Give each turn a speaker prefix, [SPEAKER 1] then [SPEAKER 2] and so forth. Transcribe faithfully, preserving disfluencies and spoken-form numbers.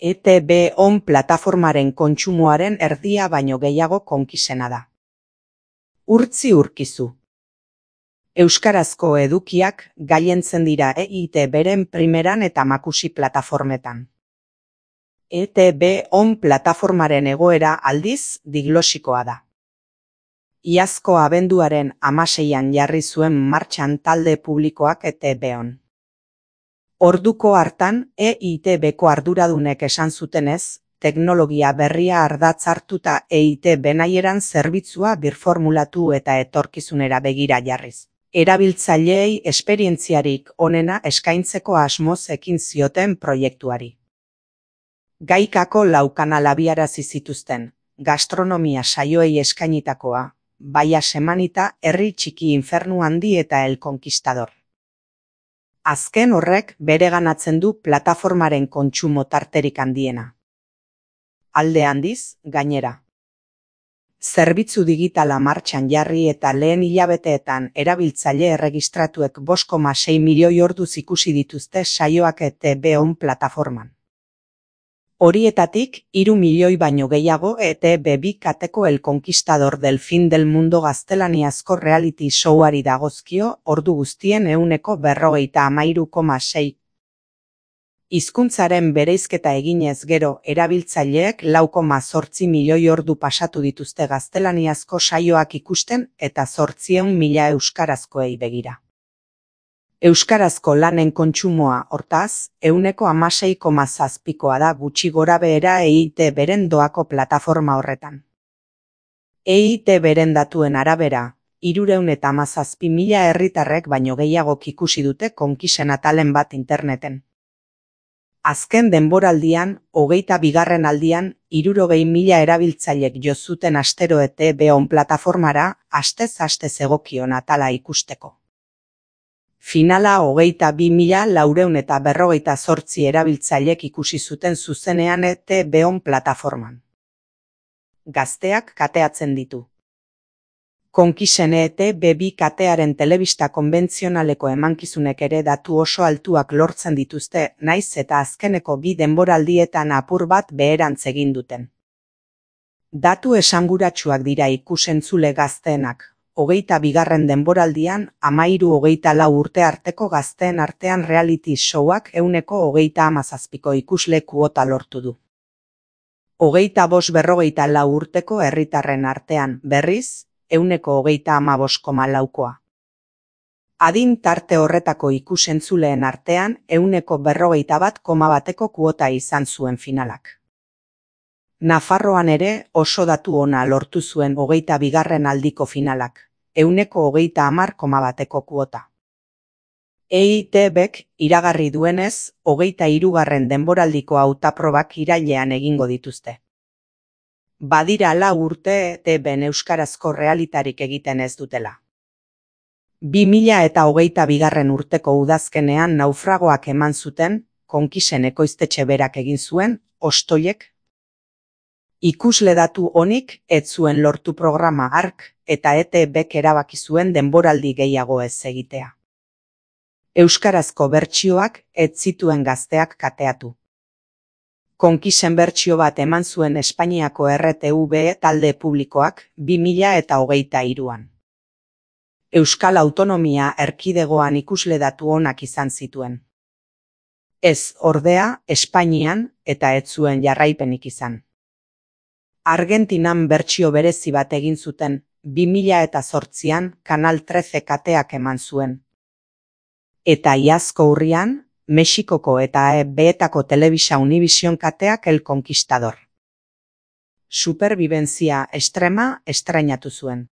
[SPEAKER 1] E T B on plataformaren kontsumoaren erdia baino gehiago konkisena da. Urtzi urkizu. Euskarazko edukiak gailentzen dira E I T Bren primeran eta makusi plataformetan. E T B on plataformaren egoera aldiz diglosikoa da. Iazko abenduaren hamaseian jarri zuen martxan talde publikoak E T B on. Orduko hartan E I T Bko arduradunek esan zutenez, teknologia berria ardatz hartuta E I T B nahieran zerbitzua birformulatu eta etorkizunera begira jarriz. Erabiltzaileei esperientziarik onena eskaintzeko asmoz ekin zioten proiektuari. Gaikako lau kanal abiarazi zituzten, gastronomia saioei eskainitakoa, Baia Semanita, Herri Txiki Infernu Handi eta El Conquistador. Azken horrek bereganatzen du plataformaren kontsumo tarterik handiena. Alde handiz, gainera. Zerbitzu digitala martxan jarri eta lehen hilabeteetan erabiltzaile erregistratuek bost koma sei milioi orduz ikusi dituzte saioak E T B on plataforman. Horietatik, hiru milioi baino gehiago E T B bi kateko El Conquistador del Fin del Mundo gaztelaniazko reality showari dagozkio ordu guztien ehuneko berrogeita hamairu koma sei. Hizkuntzaren bereizketa eginez gero erabiltzaileek lau koma zortzi milioi ordu pasatu dituzte gaztelaniazko saioak ikusten eta zortziehun mila euskarazkoei begira. Euskarazko lanen kontsumoa, hortaz, ehuneko hamasei koma zazpikoa da gutxi gorabehera E I T Bren doako plataforma horretan. E I T Bren datuen arabera, hirurehun eta hamazazpi mila herritarrek baino gehiagok ikusi dute konkisen atalen bat interneten. Azken denboraldian, hogeita bigarren aldian, hirurogei mila erabiltzailek jo zuten astero E T B on plataformara, astez astez egokion atala ikusteko. Finala hogeita bi mila laurehun eta berrogeita zortzi erabiltzailek ikusi zuten zuzenean E T B on plataforman. Gazteak kateatzen ditu. Konkisen E T B bi katearen telebista konbentzionaleko emankizunek ere datu oso altuak lortzen dituzte, naiz eta azkeneko bi denboraldietan apur bat beherantz egin duten. Datu esanguratsuak dira ikusentzule gazteenak. Hogeita bigarren denboraldian, hamairu hogeita lau urte arteko gazteen artean reality showak ehuneko hogeita hamazazpiko ikusle kuota lortu du. Hogeita bost berrogeita lau urteko herritarren artean, berriz, ehuneko hogeita hamabost koma laukoa. Adin tarte horretako ikusentzuleen artean, ehuneko berrogeita bat koma bateko kuota izan zuen finalak. Nafarroan ere oso datu ona lortu zuen hogeita bigarren aldiko finalak, ehuneko hogeita hamar koma bateko kuota. E I T Bk iragarri duenez, hogeita hirugarren denboraldiko hautaprobak irailean egingo dituzte. Badira lau urte E T Ben euskarazko realitarik egiten ez dutela. bi mila eta hogeita bigarren urteko udazkenean naufragoak eman zuten, konkisen ekoiztetxe berak egin zuen, ostoiek. Ikusle datu honik ez zuen lortu programa hark eta E T Bk erabaki zuen denboraldi gehiago ez egitea. Euskarazko bertsioak ez zituen gazteak kateatu. Konkisen bertsio bat eman zuen Espainiako R T V talde publikoak bi mila eta hogeita hiruan. Euskal Autonomia Erkidegoan ikusle datu onak izan zituen. Ez, ordea, Espainian eta ez zuen jarraipenik izan. Argentinan bertsio berezi bat egin zuten, bi mila eta zortzian Kanal treze kateak eman zuen. Eta iazko urrian, Mexikoko eta E Betako Telebisa Univision kateak El Conquistador. Superbibentzia Extrema estrainatu zuen.